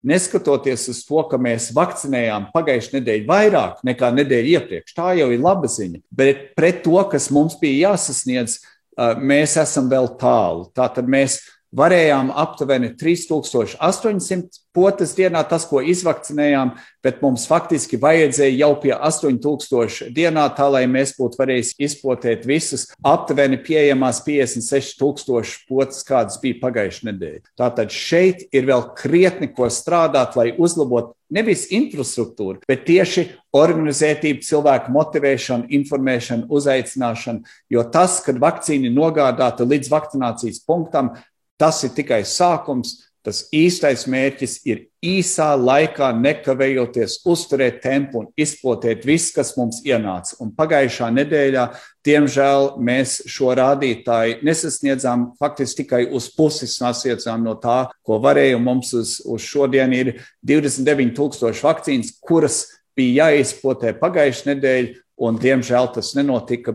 neskatoties uz to, ka mēs vakcinējām pagājušajā nedēļā vairāk nekā nedēļu iepriekš. Tā jau ir laba ziņa, bet pret to, kas mums bija jāsasniedz, mēs esam vēl tālu. Tātad mēs varējām aptuveni 3800 potes dienā, tas, ko izvakcinējām, bet mums faktiski vajadzēja jau pie 8000 dienā, tā, lai mēs būtu varējuši izpotēt visas aptuveni pieejamās 56 000 potes, kādas bija pagājušajā nedēļā. Tātad šeit ir vēl krietni, ko strādāt, lai uzlabotu nevis infrastruktūru, bet tieši organizētību, cilvēku motivēšanu, informēšanu, uzaicināšanu, jo tas, kad vakcīna ir nogādāta līdz vakcinācijas punktam, tas ir tikai sākums. Tas īstais mērķis ir īsā laikā nekavējoties uzturēt tempu un izplatīt viss, kas mums ienāca. Un pagājušā nedēļā, diemžēl, mēs šo rādītāju nesasniedzām, faktiski tikai uz pusi sasniedzām no tā, ko varēja. Mums uz šodien ir 29 000 vakcīnas, kuras bija jāizplatē pagājušā nedēļa, un diemžēl tas nenotika.